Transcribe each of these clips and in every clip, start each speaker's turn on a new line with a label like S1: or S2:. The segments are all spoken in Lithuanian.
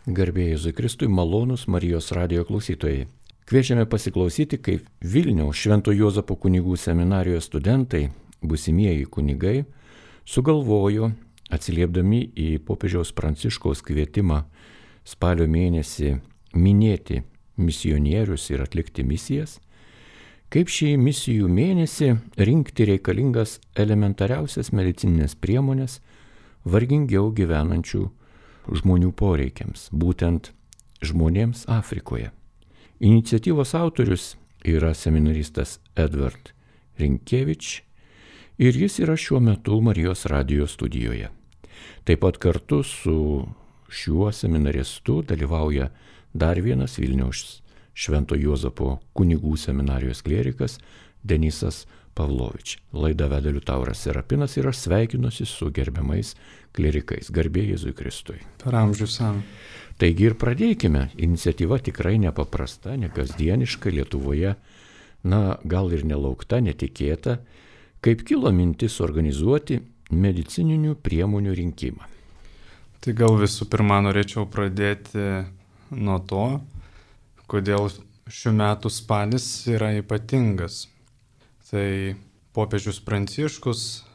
S1: Garbė Jėzui Kristui, malonūs Marijos radijo klausytojai. Kviečiame pasiklausyti, kaip Vilniaus Švento Juozapo kunigų seminarijos studentai, būsimieji kunigai, sugalvojo, atsiliepdami į popiežiaus Pranciškaus kvietimą spalio mėnesį minėti misionierius ir atlikti misijas, kaip šį misijų mėnesį rinkti reikalingas elementariausias medicininės priemonės vargingiau gyvenančių žmonių poreikiams, būtent žmonėms Afrikoje. Iniciatyvos autorius yra seminaristas Edvard Rinkevič ir jis yra šiuo metu Marijos radijo studijoje. Taip pat kartu su šiuo seminaristu dalyvauja dar vienas Vilniaus Švento Juozapo kunigų seminarijos klierikas Denisas Pavlovič. Laidą veda Liutauras Serapinas ir aš sveikinuosi su gerbiamais klierikais. Garbė Jėzui Kristui.
S2: Per amžius savo.
S1: Taigi ir pradėkime. Iniciatyva tikrai nepaprasta, nekasdieniška Lietuvoje, gal ir nelaukta, netikėta, kaip kilo mintis organizuoti medicininių priemonių rinkimą.
S2: Tai gal visų pirma norėčiau pradėti nuo to, kodėl šių metų spalis yra ypatingas. Tai popiežius Pranciškus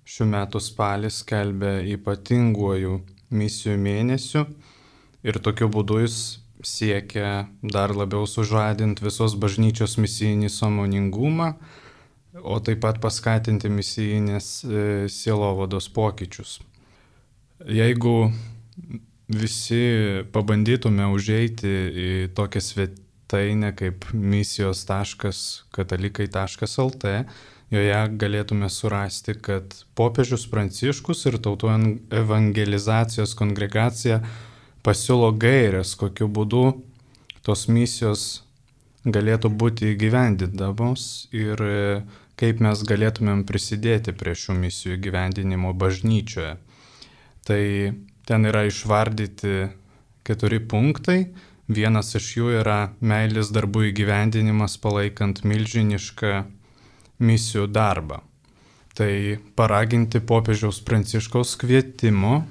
S2: šių metų spalį skelbia ypatinguoju misijų mėnesiu ir tokiu būdu jis siekia dar labiau sužadinti visos bažnyčios misijinį sąmoningumą, o taip pat paskatinti misijinės sielovados pokyčius. Jeigu visi pabandytume užeiti į tokią svetainę kaip misijos.katalikai.lt, joje galėtume surasti, kad popiežius Pranciškus ir Tautų evangelizacijos kongregacija pasiūlo gaires, kokiu būdu tos misijos galėtų būti įgyvendindamos ir kaip mes galėtumėm prisidėti prie šių misijų įgyvendinimo bažnyčioje. Tai ten yra išvardyti 4 punktai. Vienas iš jų yra meilės darbų įgyvendinimas palaikant milžinišką misijų darbą. Tai paraginti popiežiaus Pranciškaus kvietimo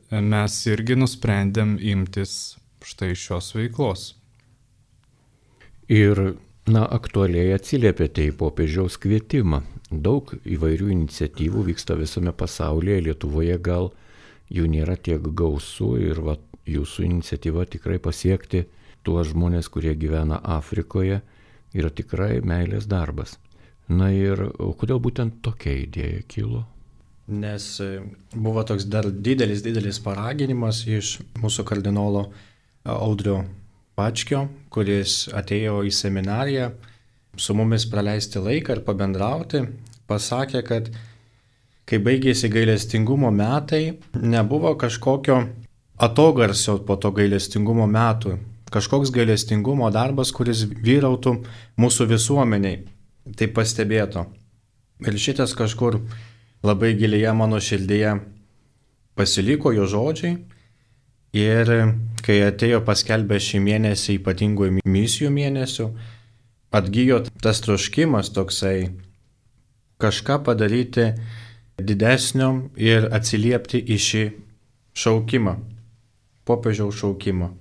S2: mes irgi nusprendėm imtis štai šios veiklos.
S1: Ir, aktualiai atsiliepėte į popiežiaus kvietimą. Daug įvairių iniciatyvų vyksta visame pasaulyje, Lietuvoje gal jų nėra tiek gausu ir jūsų iniciatyva tikrai pasiekti tuos žmonės, kurie gyvena Afrikoje, yra tikrai meilės darbas. Ir kodėl būtent tokia idėja kilo?
S3: Nes buvo toks dar didelis paraginimas iš mūsų kardinolo Audrio Bačkio, kuris atėjo į seminariją su mumis praleisti laiką ir pabendrauti, pasakė, kad kai baigėsi gailestingumo metai, nebuvo kažkokio atogarsio po to gailestingumo metų, kažkoks gailestingumo darbas, kuris vyrautų mūsų visuomeniai. Tai pastebėto. Ir šitas kažkur labai gilėje mano širdyje pasiliko jo žodžiai. Ir kai atėjo paskelbę šį mėnesį ypatingųjų misijų mėnesių, atgijo tas troškimas toksai kažką padaryti didesnio ir atsiliepti į šį šaukimą, popiežiaus šaukimą.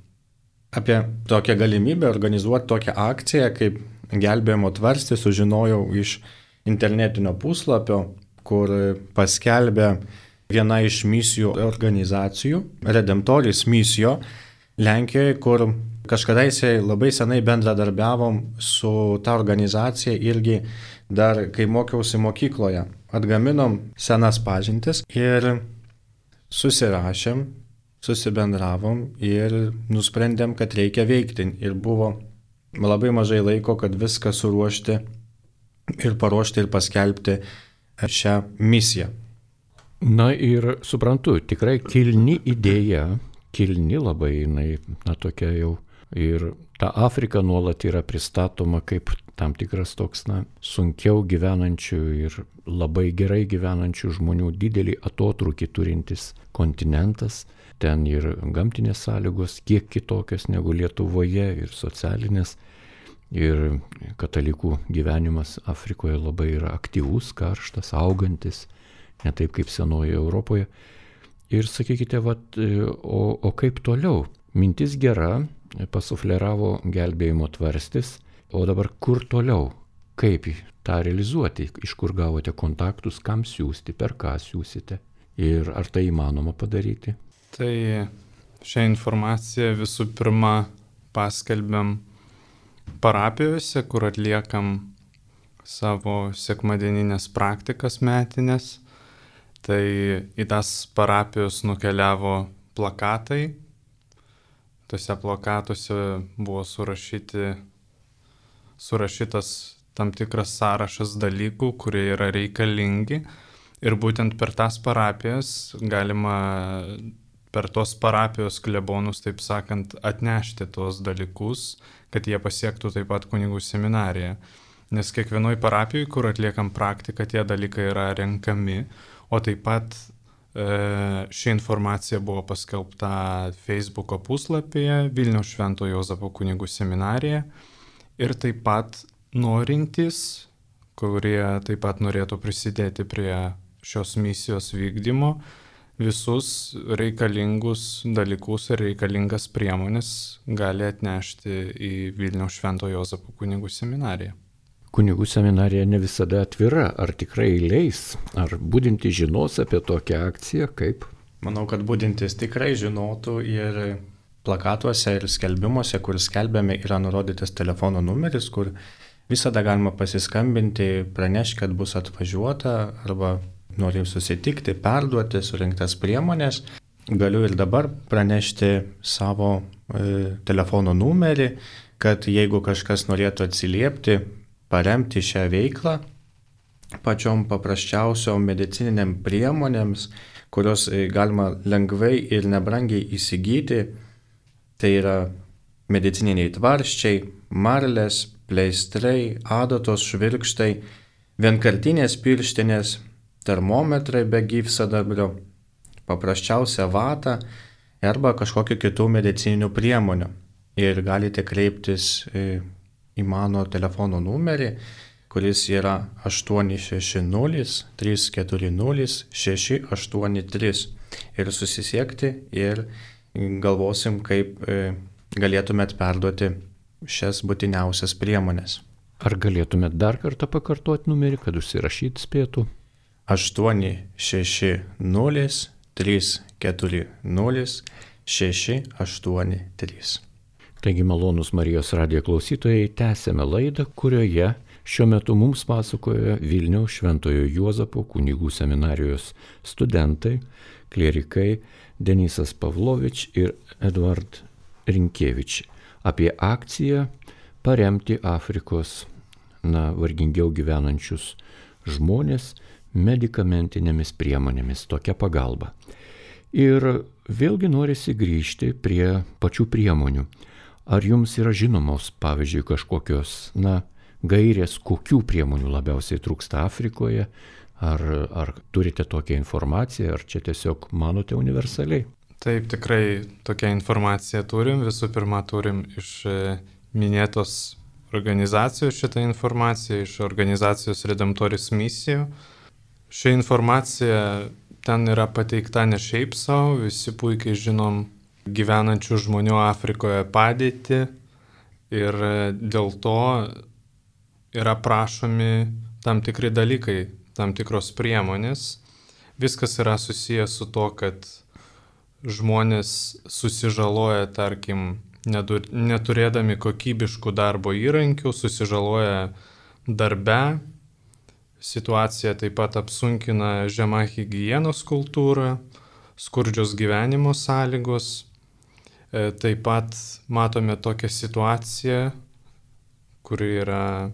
S3: Apie tokią galimybę organizuoti tokią akciją kaip gelbėjimo tvarstį sužinojau iš internetinio puslapio, kur paskelbė viena iš misijų organizacijų, Redemptoris misijo Lenkijoje, kur kažkadaise labai senai bendradarbiavom su ta organizacija irgi dar kai mokiausi mokykloje. Atgaminom senas pažintis ir susirašėm, susibendravom ir nusprendėm, kad reikia veikti. Ir buvo labai mažai laiko, kad viską suruošti ir paruošti ir paskelbti šią misiją.
S1: Ir suprantu, tikrai kilni idėja, kilni labai jinai, tokia jau. Ir ta Afrika nuolat yra pristatoma kaip tam tikras toks, sunkiau gyvenančių ir labai gerai gyvenančių žmonių didelį atotrūkį turintis kontinentas. Ten ir gamtinės sąlygos kiek kitokios negu Lietuvoje ir socialinės. Ir katalikų gyvenimas Afrikoje labai yra aktyvus, karštas, augantis, ne taip kaip senoje Europoje. Ir sakykite, o kaip toliau? Mintis gera, pasufleravo gelbėjimo tvarstis, o dabar kur toliau? Kaip tą realizuoti? Iš kur gavote kontaktus, kam siūsti, per ką siūsite? Ir ar tai įmanoma padaryti?
S2: Tai šią informaciją visų pirma paskelbiam parapijose, kur atliekam savo sekmadieninės praktikas metinės. Tai į tas parapijos nukeliavo plakatai. Tuose plakatuose buvo surašytas tam tikras sąrašas dalykų, kurie yra reikalingi. Ir būtent per tas parapijas galima, per tos parapijos klebonus, taip sakant, atnešti tuos dalykus, kad jie pasiektų taip pat kunigų seminariją. Nes kiekvienoj parapijoje, kur atliekam praktiką, tie dalykai yra renkami, o taip pat ši informacija buvo paskelbta Facebooko puslapyje Vilniaus Švento Juozapo kunigų seminarija ir taip pat norintys, kurie taip pat norėtų prisidėti prie šios misijos vykdymo, visus reikalingus dalykus ir reikalingas priemonės gali atnešti į Vilniaus Švento Juozapo kunigų seminariją.
S1: Kunigų seminarija ne visada atvira, ar tikrai leis, ar budintys žinos apie tokią akciją, kaip?
S3: Manau, kad budintys tikrai žinotų ir plakatuose ir skelbimuose, kur skelbiame, yra nurodytas telefono numeris, kur visada galima pasiskambinti, pranešti, kad bus atvažiuota arba norim susitikti, perduoti surinktas priemonės. Galiu ir dabar pranešti savo telefono numerį, kad jeigu kažkas norėtų atsiliepti, paremti šią veiklą pačiom paprasčiausiom medicininiam priemonėms, kurios galima lengvai ir nebrangiai įsigyti. Tai yra medicininiai tvarsčiai, marlės, pleistrai, adatos, švirkštai, vienkartinės pirštinės, termometrai be gyvsidabrio, paprasčiausia vata arba kažkokių kitų medicininių priemonių. Ir galite kreiptis į mano telefono numerį, kuris yra 860-340-683 ir susisiekti ir galvosim, kaip galėtumėt perduoti šias būtiniausias priemonės.
S1: Ar galėtumėt dar kartą pakartoti numerį, kad užsirašyti spėtų?
S3: 860-340-683.
S1: Taigi malonūs Marijos radijo klausytojai, tęsėme laidą, kurioje šiuo metu mums pasakoja Vilniaus Šventojo Juozapo kunigų seminarijos studentai, klierikai Denisas Pavlovič ir Eduard Rinkievič apie akciją paremti Afrikos vargingiau gyvenančius žmonės medikamentinėmis priemonėmis, tokia pagalba. Ir vėlgi norisi grįžti prie pačių priemonių. Ar jums yra žinomos, pavyzdžiui, kažkokios gairės, kokių priemonių labiausiai trūksta Afrikoje? Ar turite tokią informaciją, ar čia tiesiog manote universaliai?
S2: Taip, tikrai tokią informaciją turim. Visų pirma, turim iš minėtos organizacijos šitą informaciją, iš organizacijos Redemptoris misijų. Ši informacija ten yra pateikta ne šiaip savo, visi puikiai žinom gyvenančių žmonių Afrikoje padėtį ir dėl to yra prašomi tam tikri dalykai, tam tikros priemonės. Viskas yra susijęs su to, kad žmonės susižaloja, tarkim, neturėdami kokybiškų darbo įrankių, susižaloja darbe. Situacija taip pat apsunkina žema higienos kultūra, skurdžios gyvenimo sąlygos. Taip pat matome tokią situaciją, kuri yra,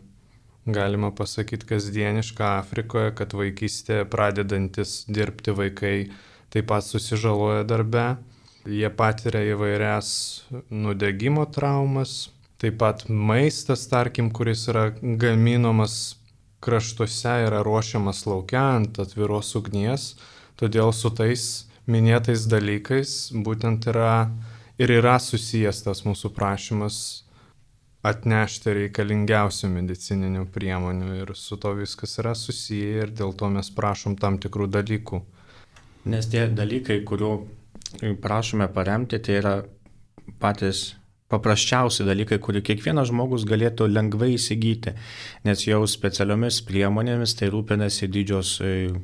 S2: galima pasakyti, kasdieniška Afrikoje, kad vaikystėje pradedantis dirbti vaikai taip pat susižaloja darbe. Jie patiria įvairias nudegimo traumas. Taip pat maistas, tarkim, kuris yra gaminamas kraštuose, yra ruošiamas lauke ant atviros ugnies. Todėl su tais minėtais dalykais būtent yra susijęs tas mūsų prašymas atnešti reikalingiausių medicininių priemonių ir su to viskas yra susiję ir dėl to mes prašom tam tikrų dalykų.
S3: Nes tie dalykai, kurių prašome paremti, tai yra patys paprasčiausi dalykai, kurių kiekvienas žmogus galėtų lengvai įsigyti, nes jau specialiomis priemonėmis tai rūpinasi didžios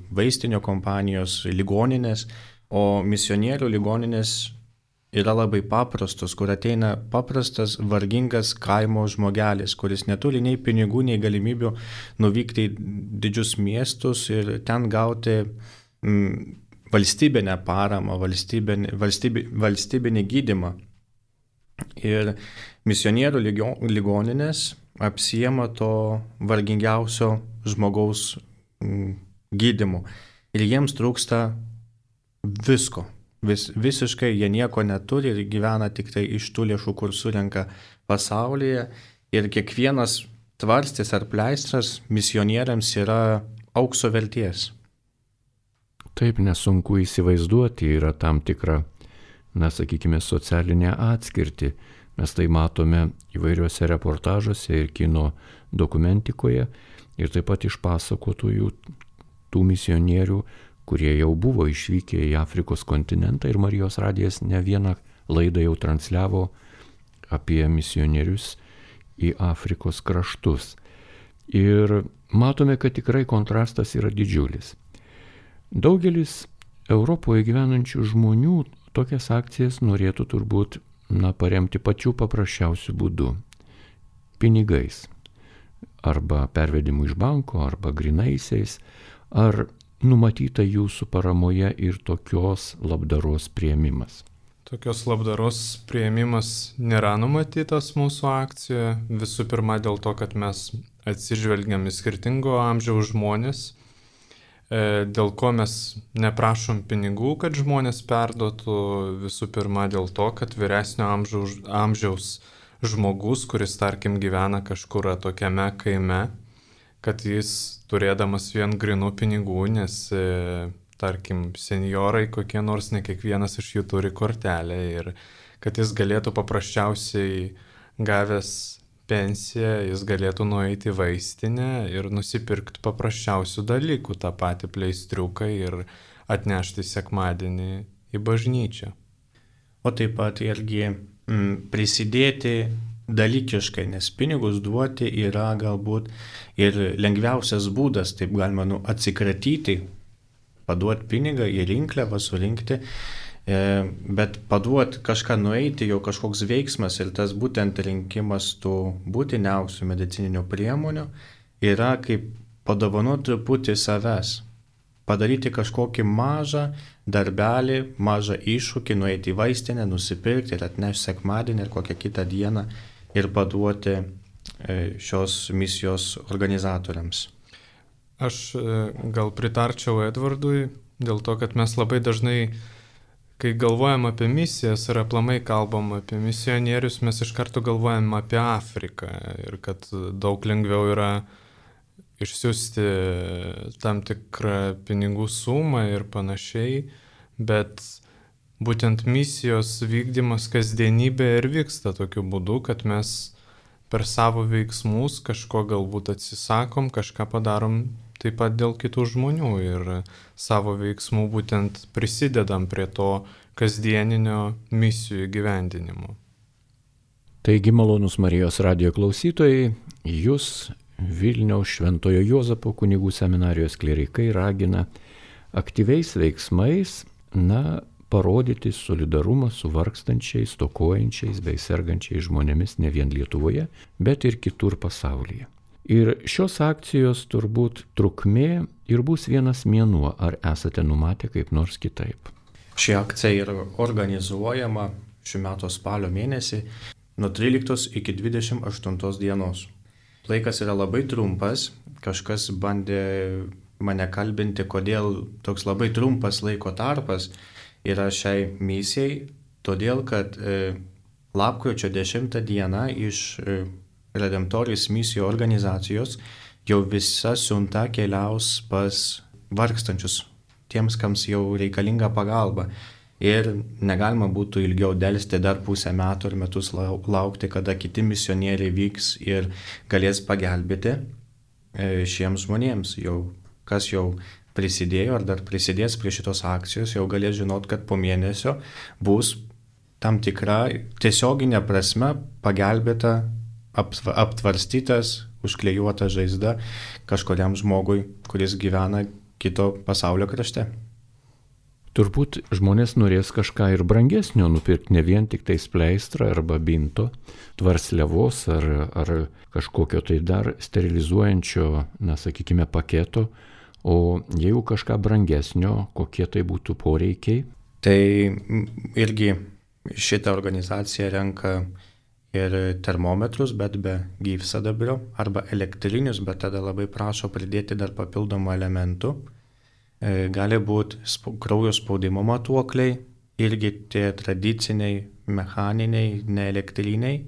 S3: vaistinio kompanijos, ligoninės, o misionierių ligoninės yra labai paprastos, kur ateina paprastas, vargingas kaimo žmogelis, kuris neturi nei pinigų, nei galimybių nuvykti į didžius miestus ir ten gauti valstybinę paramą, valstybinį gydymą. Ir misionierių ligoninės apsiema to vargingiausio žmogaus gydymu. Ir jiems trūksta visko. Visiškai jie nieko neturi ir gyvena tik tai iš tų lėšų, kur surenka pasaulyje. Ir kiekvienas tvarstis ar pleistras misionieriams yra aukso verties.
S1: Taip, nesunku įsivaizduoti, yra tam tikra, sakykime, socialinė atskirti. Mes tai matome įvairiuose reportažuose ir kino dokumentikoje ir taip pat iš pasakotojų tų misionierių, kurie jau buvo išvykę į Afrikos kontinentą ir Marijos radijas ne vieną laidą jau transliavo apie misionierius į Afrikos kraštus. Ir matome, kad tikrai kontrastas yra didžiulis. Daugelis Europoje gyvenančių žmonių tokias akcijas norėtų turbūt paremti pačiu paprasčiausiu būdu – pinigais, arba pervedimu iš banko, arba grynaisiais, ar numatyta jūsų paramoje ir tokios labdaros priėmimas?
S2: Tokios labdaros priėmimas nėra numatytas mūsų akcijoje, visų pirma dėl to, kad mes atsižvelgiam į skirtingo amžiaus žmonės, dėl ko mes neprašom pinigų, kad žmonės perduotų, visų pirma dėl to, kad vyresnio amžiaus žmogus, kuris tarkim gyvena kažkur tokiame kaime, kad jis turėdamas vien grinų pinigų, nes tarkim senjorai kokie nors, ne kiekvienas iš jų turi kortelę ir kad jis galėtų paprasčiausiai gavęs pensiją, jis galėtų nueiti į vaistinę ir nusipirkti paprasčiausių dalykų, tą patį pleistriuką ir atnešti sekmadienį į bažnyčią.
S3: O taip pat irgi prisidėti dalykiškai, nes pinigus duoti yra galbūt ir lengviausias būdas, taip galima atsikratyti, paduoti pinigą į rinkliavą, surinkti, bet paduoti kažką nueiti, jau kažkoks veiksmas ir tas būtent rinkimas tų būtiniausių medicininių priemonių yra kaip padovanoti truputį savęs, padaryti kažkokį mažą darbelį, mažą iššūkį, nueiti į vaistinę, nusipirkti ir atnešti sekmadienį ir kokią kitą dieną ir paduoti šios misijos organizatoriams.
S2: Aš gal pritarčiau Edvardui dėl to, kad mes labai dažnai, kai galvojam apie misijas ir aplamai kalbam apie misionierius, mes iš karto galvojam apie Afriką ir kad daug lengviau yra išsiųsti tam tikrą pinigų sumą ir panašiai, bet būtent misijos vykdymas kasdienybė ir vyksta tokiu būdu, kad mes per savo veiksmus kažko galbūt atsisakom, kažką padarom taip pat dėl kitų žmonių ir savo veiksmų būtent prisidedam prie to kasdieninio misijų įgyvendinimo.
S1: Taigi, malonūs Marijos radijo klausytojai, jūs Vilniaus Šventojo Juozapo kunigų seminarijos klierikai ragina aktyviais veiksmais, parodyti solidarumą su vargstančiais, stokojančiais bei sergančiais žmonėmis ne vien Lietuvoje, bet ir kitur pasaulyje. Ir šios akcijos turbūt trukmė ir bus vienas mėnuo, ar esate numatę kaip nors kitaip?
S3: Ši akcija yra organizuojama šių metų spalio mėnesį nuo 13 iki 28 dienos. Laikas yra labai trumpas, kažkas bandė mane kalbinti, kodėl toks labai trumpas laiko tarpas yra šiai misijai, todėl kad lapkričio 10 dieną iš Redemptoris misijų organizacijos jau visa siunta keliaus pas vargstančius, tiems, kams jau reikalinga pagalba. Ir negalima būtų ilgiau delsti dar pusę metų ir metus laukti, kada kiti misionieriai vyks ir galės pagelbėti šiems žmonėms, kas jau prisidėjo ar dar prisidės prie šitos akcijos, jau galės žinot, kad po mėnesio bus tam tikra tiesioginė prasme pagelbėta, aptvarstytas, užklijuota žaizda kažkuriam žmogui, kuris gyvena kito pasaulio krašte.
S1: Turbūt žmonės norės kažką ir brangesnio nupirkti, ne vien tik tai pleistrą arba binto, tvarsliavos ar kažkokio tai dar sterilizuojančio, sakykime, paketo, o jeigu kažką brangesnio, kokie tai būtų poreikiai?
S3: Tai irgi šitą organizaciją renka ir termometrus, bet be gyvsidabrio, arba elektrinius, bet tada labai prašo pridėti dar papildomų elementų. Gali būti kraujo spaudimo matuokliai, irgi tie tradiciniai, mechaniniai, neelektriniai.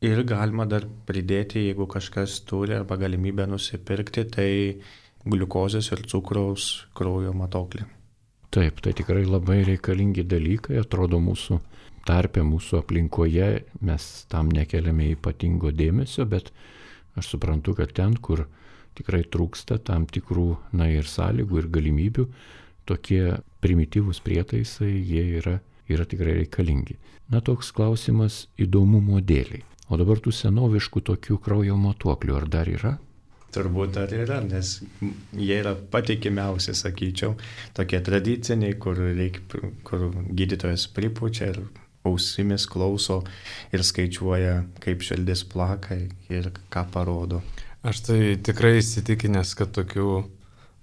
S3: Ir galima dar pridėti, jeigu kažkas turi arba galimybę nusipirkti, tai gliukozės ir cukraus kraujo matuoklį.
S1: Taip, tai tikrai labai reikalingi dalykai, atrodo mūsų tarpe, mūsų aplinkoje, mes tam nekeliame ypatingo dėmesio, bet aš suprantu, kad ten, kur tikrai trūksta tam tikrų, ir sąlygų ir galimybių, tokie primityvūs prietaisai, jie yra tikrai reikalingi. Toks klausimas įdomumo dėliai. O dabar tų senoviškų tokių kraujo matuoklių ar dar yra?
S3: Turbūt dar yra, nes jie yra patikimiausi, sakyčiau, tokie tradiciniai, kur gydytojas pripučia ir ausimis klauso ir skaičiuoja, kaip širdis plaka ir ką parodo.
S2: Aš tai tikrai įsitikinęs, kad tokių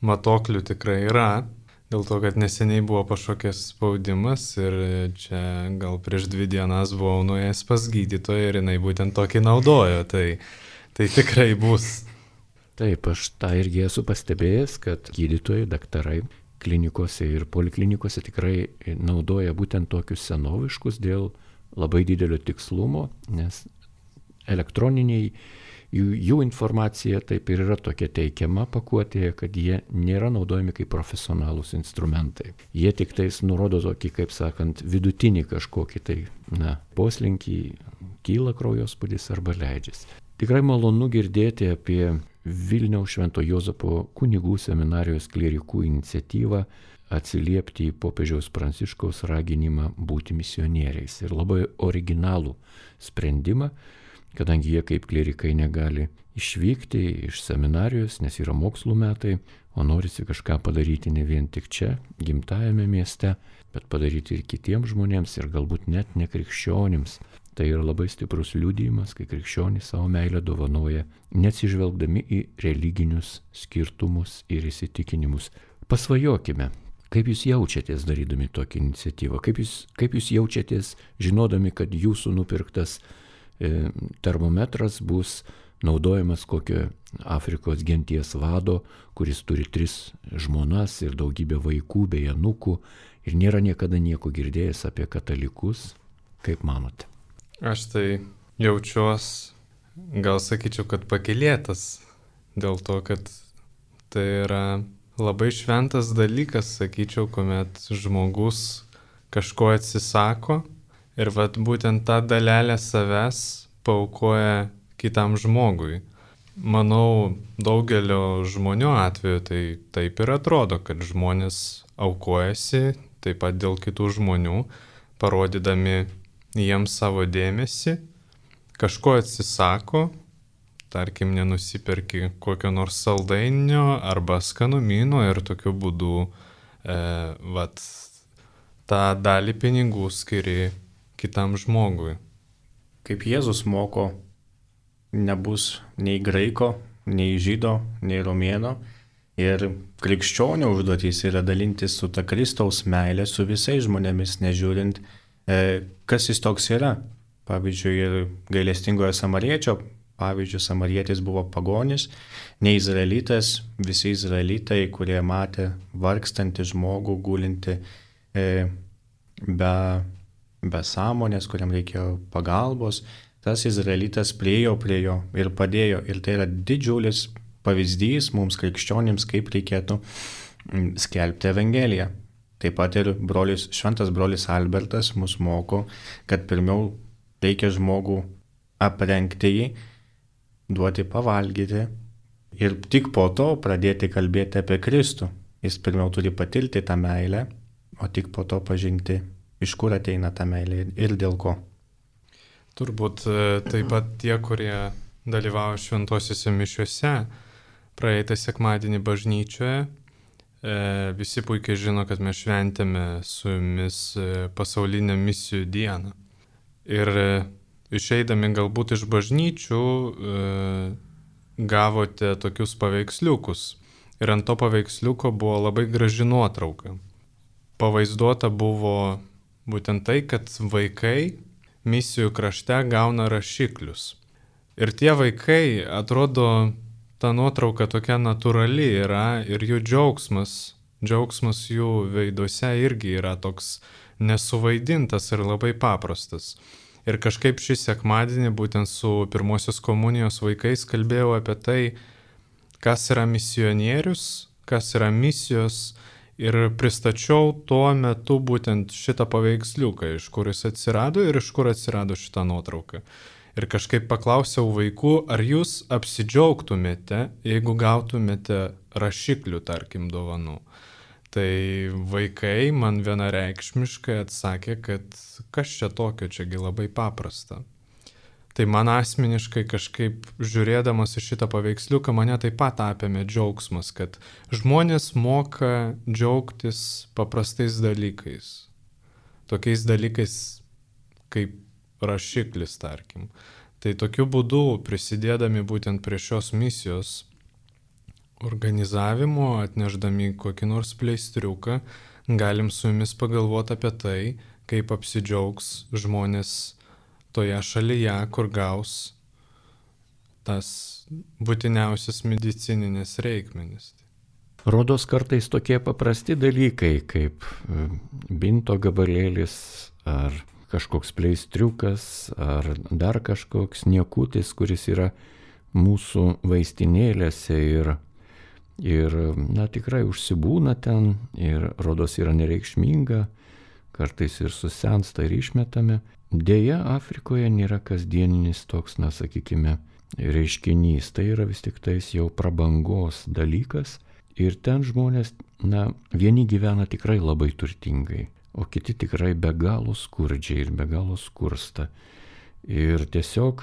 S2: matuoklių tikrai yra, dėl to, kad neseniai buvo pašokęs spaudimas ir čia gal prieš 2 dienas buvau nuėjęs pas gydytoją ir jinai būtent tokį naudojo, tai tikrai bus.
S1: Taip, aš tą irgi esu pastebėjęs, kad gydytojai, daktarai klinikose ir poliklinikose tikrai naudoja būtent tokius senoviškus dėl labai didelio tikslumo, nes elektroniniai jų informacija taip ir yra tokia teikiama pakuotėje, kad jie nėra naudojami kaip profesionalūs instrumentai. Jie tik tais nurodo tokį, kaip sakant, vidutinį kažkokį tai poslinkį, kyla kraujospūdis arba leidžiasi. Tikrai malonu girdėti apie Vilniaus Švento Juozapo kunigų seminarijos klierikų iniciatyvą atsiliepti į popiežiaus Pranciškaus raginimą būti misionieriais. Ir labai originalų sprendimą, kadangi jie kaip klierikai negali išvykti iš seminarijos, nes yra mokslų metai, o norisi kažką padaryti ne vien tik čia, gimtajame mieste, bet padaryti ir kitiems žmonėms ir galbūt net nekrikščionims. Tai yra labai stiprus liudijimas, kai krikščionys savo meilę dovanoja, neatsižvelgdami į religinius skirtumus ir įsitikinimus. Pasvajokime, kaip jūs jaučiatės darydami tokią iniciatyvą, kaip jūs jaučiatės žinodami, kad jūsų nupirktas termometras bus naudojamas kokio Afrikos genties vado, kuris turi 3 žmonas ir daugybę vaikų bei anūkų ir nėra niekada nieko girdėjęs apie katalikus. Kaip manote?
S2: Aš tai jaučiuos, gal sakyčiau, kad pakylėtas dėl to, kad tai yra labai šventas dalykas, sakyčiau, kuomet žmogus kažko atsisako ir būtent tą dalelę savęs paaukoja kitam žmogui. Manau, daugelio žmonių atveju tai taip ir atrodo, kad žmonės aukojasi taip pat dėl kitų žmonių, parodydami jiems savo dėmesį, kažko atsisako, tarkim, nenusiperki kokio nors saldainio arba skanumyno ir tokiu būdu tą dalį pinigų skiri kitam žmogui.
S3: Kaip Jėzus moko, nebus nei graiko, nei žydo, nei romėno. Ir krikščionio užduotys yra dalintis su ta Kristaus meilė su visais žmonėmis, nežiūrint, kas jis toks yra. Pavyzdžiui, ir gailestingojo samariečio, pavyzdžiui, samarietis buvo pagonis, ne izraelitas, visi izraelitai, kurie matė vargstantį žmogų, gulinti be sąmonės, kuriam reikėjo pagalbos, tas izraelitas priejo prie jo ir padėjo. Ir tai yra didžiulis pavyzdys mums krikščionims, kaip reikėtų skelbti Evangeliją. Taip pat ir šventas brolis Albertas mus moko, kad pirmiau reikia žmogų aprengti jį, duoti pavalgyti ir tik po to pradėti kalbėti apie Kristų. Jis pirmiau turi patirti tą meilę, o tik po to pažinti, iš kur ateina ta meilė ir dėl ko.
S2: Turbūt taip pat tie, kurie dalyvauja šventosiuose mišiuose, praeitą sekmadienį bažnyčioje, visi puikiai žino, kad mes šventėme su jumis pasaulinę misijų dieną. Ir išeidami galbūt iš bažnyčių gavote tokius paveiksliukus. Ir ant to paveiksliuko buvo labai graži nuotrauka. Pavaizduota buvo būtent tai, kad vaikai misijų krašte gauna rašiklius. Ir tie vaikai, atrodo, ta nuotrauka tokia natūrali yra ir jų džiaugsmas jų veiduose irgi yra toks nesuvaidintas ir labai paprastas. Ir kažkaip šį sekmadienį būtent su pirmosios komunijos vaikais kalbėjau apie tai, kas yra misionierius, kas yra misijos ir pristačiau tuo metu būtent šitą paveiksliuką, iš kur jis atsirado ir iš kur atsirado šitą nuotrauką. Ir kažkaip paklausiau vaikų, ar jūs apsidžiaugtumėte, jeigu gautumėte rašiklių, tarkim, dovanų. Tai vaikai man vienareikšmiškai atsakė, kad kas čia tokio, čiagi labai paprasta. Tai man asmeniškai kažkaip žiūrėdamas į šitą paveiksliuką mane taip pat apėmė džiaugsmas, kad žmonės moka džiaugtis paprastais dalykais. Tokiais dalykais kaip rašiklis, tarkim. Tai tokiu būdu, prisidėdami būtent prie šios misijos organizavimo, atnešdami kokį nors pleistriuką, galim su jumis pagalvoti apie tai, kaip apsidžiaugs žmonės toje šalyje, kur gaus tas būtiniausias medicininės reikmenis.
S1: Rodos kartais tokie paprasti dalykai, kaip binto gabalėlis ar kažkoks pleistriukas ar dar kažkoks niekutis, kuris yra mūsų vaistinėlėse ir tikrai užsibūna ten ir rodos yra nereikšminga, kartais ir susensta ir išmetame. Deja, Afrikoje nėra kasdieninis toks, sakykime, reiškinys. Tai yra vis tik tais jau prabangos dalykas ir ten žmonės, vieni gyvena tikrai labai turtingai, o kiti tikrai be galo skurdžiai ir be galo skursta. Ir tiesiog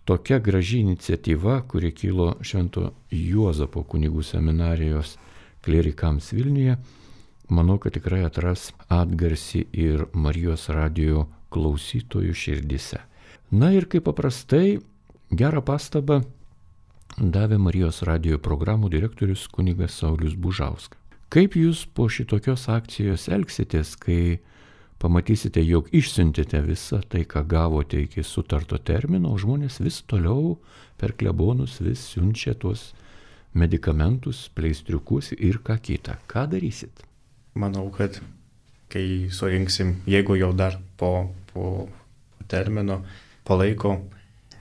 S1: tokia graži iniciatyva, kuri kilo Švento Juozapo kunigų seminarijos klerikams Vilniuje, manau, kad tikrai atras atgarsį ir Marijos radijo klausytojų širdise. Ir kaip paprastai, gerą pastabą davė Marijos radijo programų direktorius kunigas Saulius Bužauskas. Kaip jūs po šitokios akcijos elgsitės, kai pamatysite, jog išsiuntėte visą tai, ką gavote iki sutarto termino, o žmonės vis toliau per klebonus vis siunčia tuos medikamentus, pleistriukus ir ką kitą. Ką darysit?
S3: Manau, kad kai surinksim, jeigu jau dar po termino, po laiko,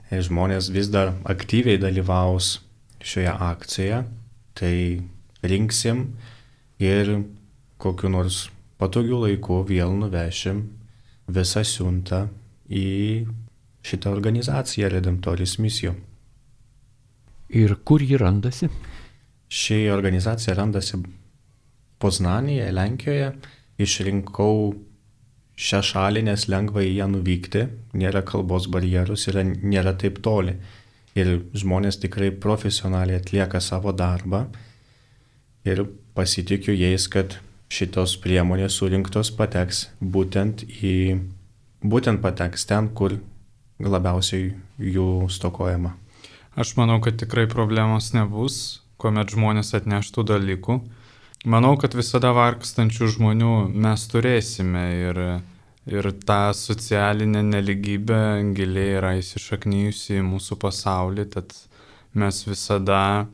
S3: žmonės vis dar aktyviai dalyvaus šioje akcijoje, tai rinksim ir kokiu nors patogiu laiku vėl nuvešim visą siuntą į šitą organizaciją Redemptoris misijų.
S1: Ir kur ji randasi?
S3: Ši organizacija randasi Poznanėje, Lenkijoje. Išrinkau šią šalį, nes lengva į ją nuvykti, nėra kalbos barjerus ir nėra taip toli. Ir žmonės tikrai profesionaliai atlieka savo darbą ir pasitikiu jais, kad šitos priemonės surinktos pateks būtent pateks ten, kur labiausiai jų stokojama.
S2: Aš manau, kad tikrai problemos nebus, kuomet žmonės atneštų dalykų. Manau, kad visada vargstančių žmonių mes turėsime ir ta socialinė neligybė giliai yra įsišaknijusi į mūsų pasaulį, tad mes visada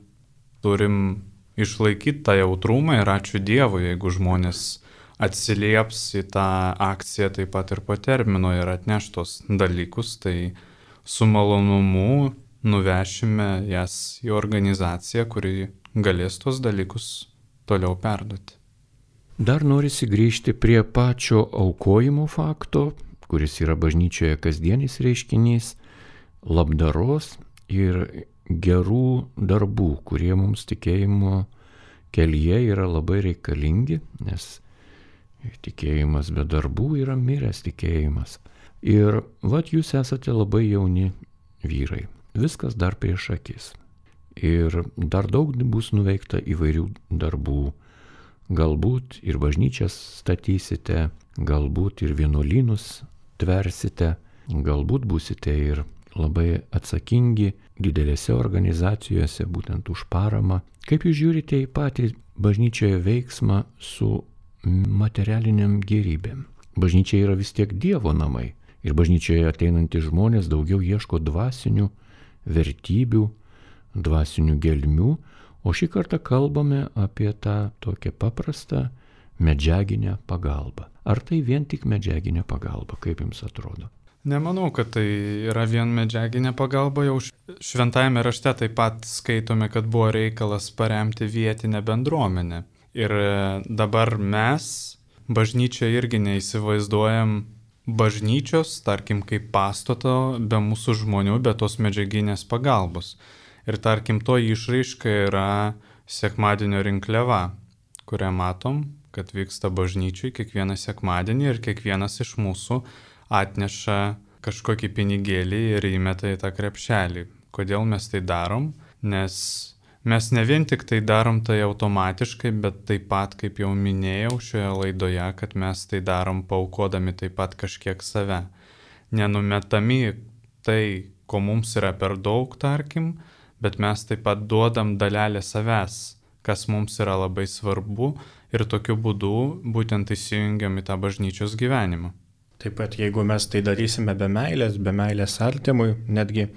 S2: turim išlaikyti tą jautrumą ir ačiū Dievui, jeigu žmonės atsilieps į tą akciją taip pat ir po termino ir atneš tos dalykus, tai su malonumu nuvešime jas į organizaciją, kuri galės tos dalykus toliau perduoti.
S1: Dar norisi grįžti prie pačio aukojimo fakto, kuris yra bažnyčioje kasdienis reiškinys, labdaros ir gerų darbų, kurie mums tikėjimo kelyje yra labai reikalingi, nes tikėjimas be darbų yra miręs tikėjimas. Ir vat jūs esate labai jauni vyrai, viskas dar prieš akis. Ir dar daug bus nuveikta įvairių darbų. Galbūt ir bažnyčias statysite, galbūt ir vienuolynus tversite, galbūt būsite ir labai atsakingi didelėse organizacijose, būtent už paramą. Kaip jūs žiūrite į patį bažnyčioje veiksmą su materialiniam gėrybėm? Bažnyčia yra vis tiek Dievo namai ir bažnyčioje ateinantys žmonės daugiau ieško dvasinių vertybių, dvasinių gelmių, o šį kartą kalbame apie tą tokią paprastą medžiaginę pagalbą. Ar tai vien tik medžiaginė pagalba, kaip jums atrodo?
S2: Nemanau, kad tai yra vien medžiaginė pagalba, jau šventajame rašte taip pat skaitome, kad buvo reikalas paremti vietinę bendruomenę. Ir dabar mes, bažnyčia, irgi neįsivaizduojam bažnyčios, tarkim, kaip pastato be mūsų žmonių, be tos medžiaginės pagalbos. Ir tarkim, to išraiška yra sekmadienio rinkliava, kurią matom, kad vyksta bažnyčiai kiekvieną sekmadienį ir kiekvienas iš mūsų atneša kažkokį pinigėlį ir įmeta į tą krepšelį. Kodėl mes tai darom? Nes mes ne vien tik tai darom tai automatiškai, bet taip pat, kaip jau minėjau šioje laidoje, kad mes tai darom paaukodami taip pat kažkiek save. Nenumetami tai, ko mums yra per daug, tarkim, bet mes taip pat duodam dalelę savęs, kas mums yra labai svarbu ir tokiu būdu būtent įsijungiam į tą bažnyčios gyvenimą.
S3: Taip pat jeigu mes tai darysime be meilės artimui, netgi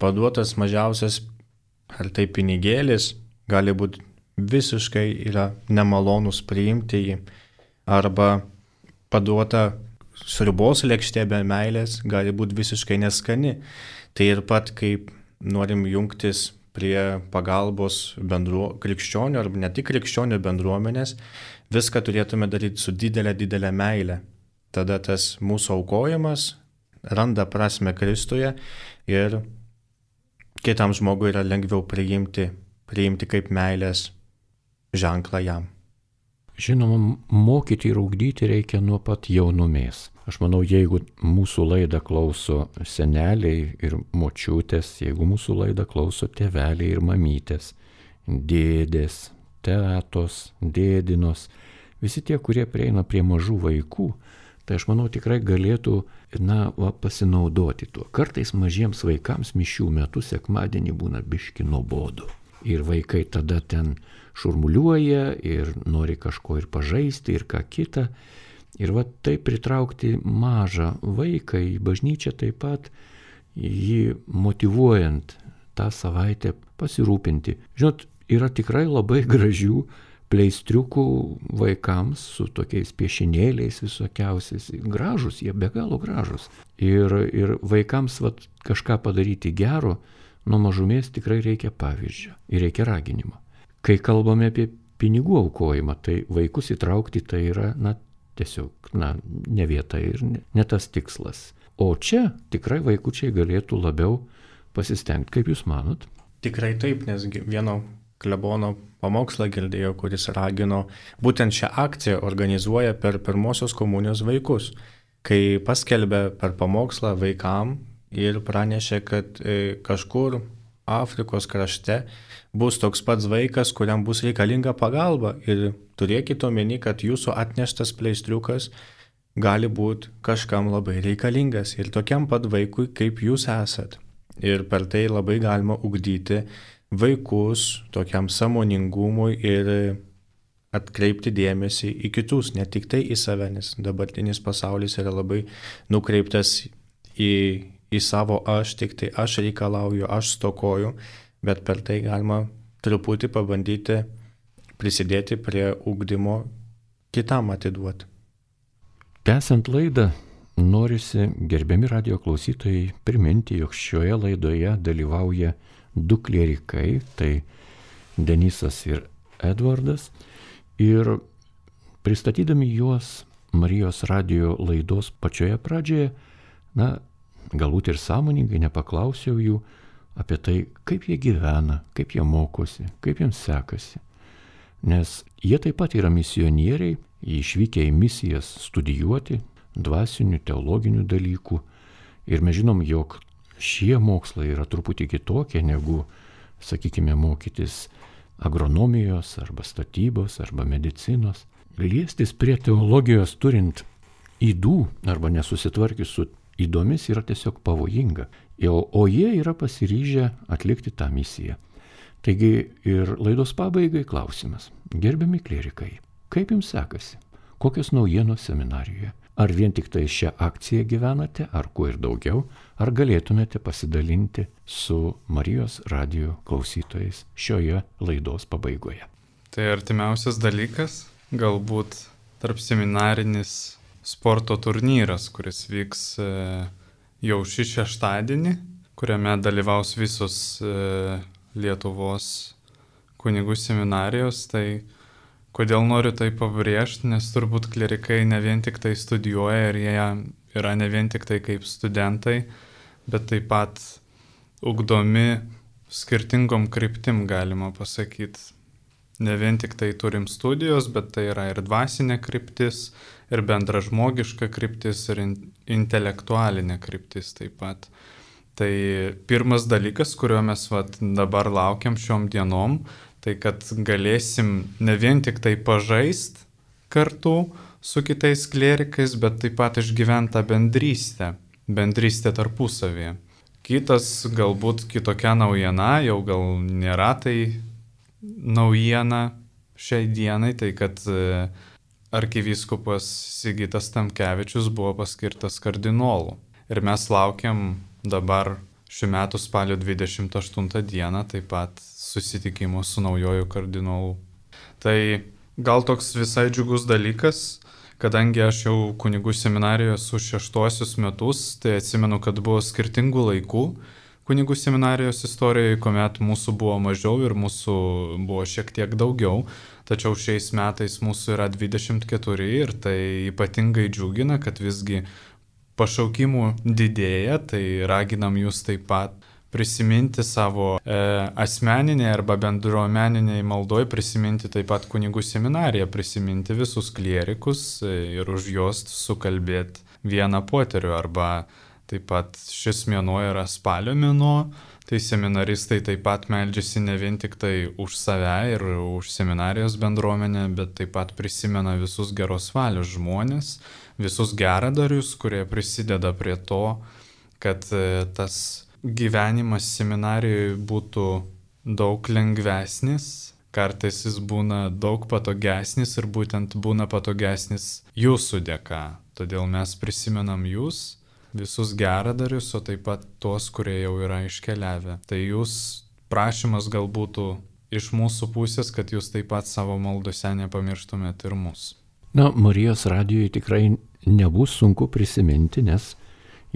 S3: paduotas mažiausias ar tai pinigėlis gali būti visiškai yra nemalonus priimti jį, arba paduota sriubos lėkštė be meilės gali būti visiškai neskani. Tai ir pat kaip norim jungtis prie pagalbos krikščionių arba ne tik krikščionių bendruomenės, viską turėtume daryti su didelė meile. Tada tas mūsų aukojimas randa prasme Kristuje ir kitam žmogui yra lengviau priimti kaip meilės ženklą jam.
S1: Žinoma, mokyti ir ugdyti reikia nuo pat jaunumės. Aš manau, jeigu mūsų laidą klauso seneliai ir močiutės, jeigu mūsų laidą klauso tėveliai ir mamytės, dėdės, tetos, dėdinos, visi tie, kurie prieina prie mažų vaikų, tai aš manau tikrai galėtų pasinaudoti tuo. Kartais mažiems vaikams mišių metu sekmadienį būna biški nuobodu. Ir vaikai tada ten šurmuliuoja ir nori kažko ir pažaisti ir ką kitą. Ir va taip pritraukti mažą vaiką į bažnyčią taip pat, jį motyvuojant tą savaitę pasirūpinti. Žinot, yra tikrai labai gražių pleistriukų vaikams su tokiais piešinėliais visokiausiais. Gražus, jie be galo gražus. Ir vaikams vat, kažką padaryti gero, nuo mažumės tikrai reikia pavyzdžio ir reikia raginimo. Kai kalbame apie pinigų aukojimą, tai vaikus įtraukti tai yra, tiesiog, ne vieta ir ne tas tikslas. O čia tikrai vaikučiai galėtų labiau pasistengti, kaip jūs manot?
S3: Tikrai taip, nes vieno klebono pamokslą girdėjau, kuris ragino, būtent šią akciją organizuoja per pirmosios komunijos vaikus, kai paskelbė per pamokslą vaikam ir pranešė, kad kažkur Afrikos krašte bus toks pats vaikas, kuriam bus reikalinga pagalba ir turėkite omeny, kad jūsų atneštas pleistriukas gali būti kažkam labai reikalingas ir tokiam pat vaikui, kaip jūs esat. Ir per tai labai galima ugdyti vaikus tokiam sąmoningumui ir atkreipti dėmesį į kitus, ne tik tai į save, nes dabartinis pasaulis yra labai nukreiptas į savo aš, tik tai aš reikalauju, aš stokoju, bet per tai galima truputį pabandyti prisidėti prie ugdymo kitam atiduoti.
S1: Tęsiant laidą, norisi, gerbiami radijo klausytojai, priminti, jog šioje laidoje dalyvauja du klierikai, tai Denisas ir Edvardas, ir pristatydami juos Marijos radijo laidos pačioje pradžioje, galbūt ir sąmoningai nepaklausiau jų apie tai, kaip jie gyvena, kaip jie mokosi, kaip jiems sekasi. nes jie taip pat yra misionieriai, išvykę į misijas studijuoti dvasinių, teologinių dalykų. Ir mes žinom, jog šie mokslai yra truputį kitokie negu, sakykime, mokytis agronomijos arba statybos arba medicinos. Liestis prie teologijos turint ydų arba nesusitvarkius su ydomis yra tiesiog pavojinga. O jie yra pasiryžę atlikti tą misiją. Taigi ir laidos pabaigai klausimas. Gerbiami klierikai, kaip jums sekasi? Kokios naujienos seminarijoje? Ar vien tik tai šią akciją gyvenate, ar kuo ir daugiau? Ar galėtumėte pasidalinti su Marijos radijo klausytojais šioje laidos pabaigoje?
S2: Tai artimiausias dalykas, galbūt tarp seminarinis sporto turnyras, kuris vyks jau šį šeštadienį, kuriame dalyvaus visos Lietuvos kunigų seminarijos. Tai kodėl noriu tai pabrėžti, nes turbūt klierikai ne vien tik tai studijuoja ir jie yra ne vien tik tai kaip studentai, bet taip pat ugdomi skirtingom kryptim, galima pasakyti. Ne vien tik tai turim studijos, bet tai yra ir dvasinė kryptis, ir bendražmogiška kryptis, ir intelektualinė kryptis taip pat. Tai pirmas dalykas, kurio mes dabar laukiam šiom dienom, tai kad galėsim ne vien tik tai pažaist kartu su kitais klierikais, bet taip pat išgyventi tą bendrystę tarpusavėje. Kitas galbūt kitokia naujiena, jau gal nėra tai naujiena šiai dienai, tai kad arkivyskupas Sigitas Tamkevičius buvo paskirtas kardinolu. Ir mes laukiam dabar šių metų spalio 28 dieną taip pat susitikimo su naujoju kardinolu. Tai gal toks visai džiugus dalykas, kadangi aš jau kunigų seminarijoje su 6 metus, tai atsimenu, kad buvo skirtingų laikų kunigų seminarijos istorijoje, kuomet mūsų buvo mažiau ir mūsų buvo šiek tiek daugiau, tačiau šiais metais mūsų yra 24 ir tai ypatingai džiugina, kad visgi pašaukimų didėja, tai raginam jūs taip pat prisiminti savo asmeninę arba bendruomeniniai maldoj, prisiminti taip pat kunigų seminariją, prisiminti visus klierikus ir už juos sukalbėti vieną poterių. Arba taip pat šis mėnuo yra spalio mėnuo, tai seminaristai taip pat meldžiasi ne vien tik tai už save ir už seminarijos bendruomenę, bet taip pat prisimena visus geros valios žmonės, visus geradarius, kurie prisideda prie to, kad tas gyvenimas seminarijoje būtų daug lengvesnis, kartais jis būna daug patogesnis ir būtent būna patogesnis jūsų dėka. Todėl mes prisimenam jūs, visus geradarius, o taip pat tuos, kurie jau yra iškeliavę. Tai jūs prašymas gal būtų iš mūsų pusės, kad jūs taip pat savo maldose nepamirštumėt ir mus.
S1: Na, Marijos radijoje tikrai nebus sunku prisiminti, nes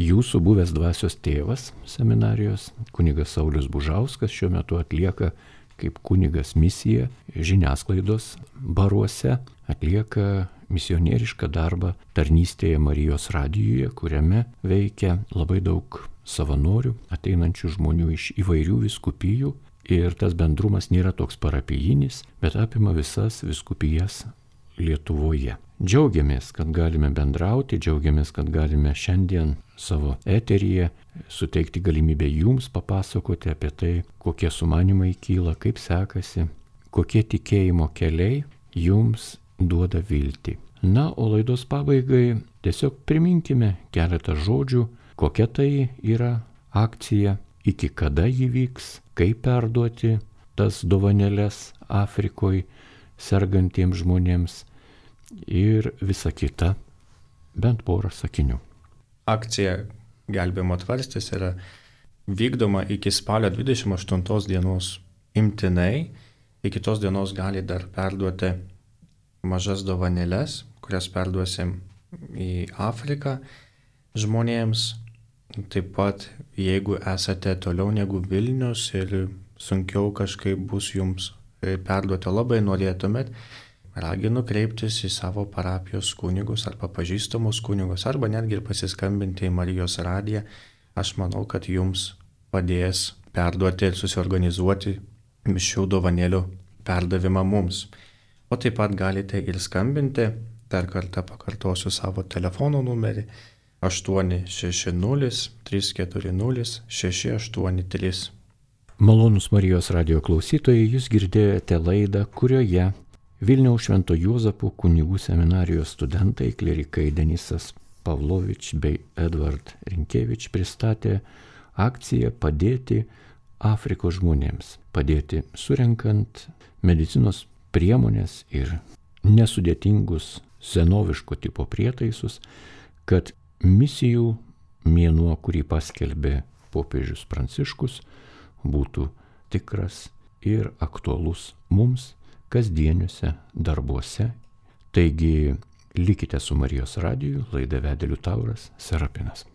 S1: jūsų buvęs dvasios tėvas seminarijos, kunigas Saulius Bužauskas, šiuo metu atlieka kaip kunigas misiją žiniasklaidos baruose, atlieka misionierišką darbą tarnystėje Marijos radijoje, kuriame veikia labai daug savanorių, ateinančių žmonių iš įvairių vyskupijų, ir tas bendrumas nėra toks parapijinis, bet apima visas vyskupijas Lietuvoje. Džiaugiamės, kad galime bendrauti, džiaugiamės, kad galime šiandien savo eteryje suteikti galimybę jums papasakoti apie tai, kokie sumanimai kyla, kaip sekasi, kokie tikėjimo keliai jums duoda viltį. Na, o laidos pabaigai tiesiog priminkime keletą žodžių, kokia tai yra akcija, iki kada ji vyks, kaip perduoti tas dovanėles Afrikoje sergantiems žmonėms ir visa kita, bent porą sakinių.
S3: Akcija Gelbėjimo tvarstis yra vykdoma iki spalio 28 dienos imtinai. Iki tos dienos gali dar perduoti mažas dovanėles, kurias perduosim į Afriką žmonėms. Taip pat, jeigu esate toliau negu Vilnius ir sunkiau kažkaip bus jums perduoti, labai norėtumėt, raginu kreiptis į savo parapijos kunigus arba pažįstamus kunigus, arba netgi ir pasiskambinti į Marijos radiją. Aš manau, kad jums padės perduoti ir susiorganizuoti šių dovanėlių perdavimą mums. O taip pat galite ir skambinti, dar kartą pakartosiu savo telefono numerį 860 340 683.
S1: Malonūs Marijos radijo klausytojai, jūs girdėjote laidą, kurioje Vilniaus Švento Juozapo kunigų seminarijos studentai, klierikai Denisas Pavlovič bei Edvard Rinkevič pristatė akciją Padėti Afrikos žmonėms, padėti surenkant medicinos priemonės ir nesudėtingus senoviško tipo prietaisus, kad misijų mėnuo, kurį paskelbė popiežius Pranciškus, būtų tikras ir aktualus mums kasdieniuose darbuose. Taigi likite su Marijos radiju, laidą vedė Liutauras Serapinas.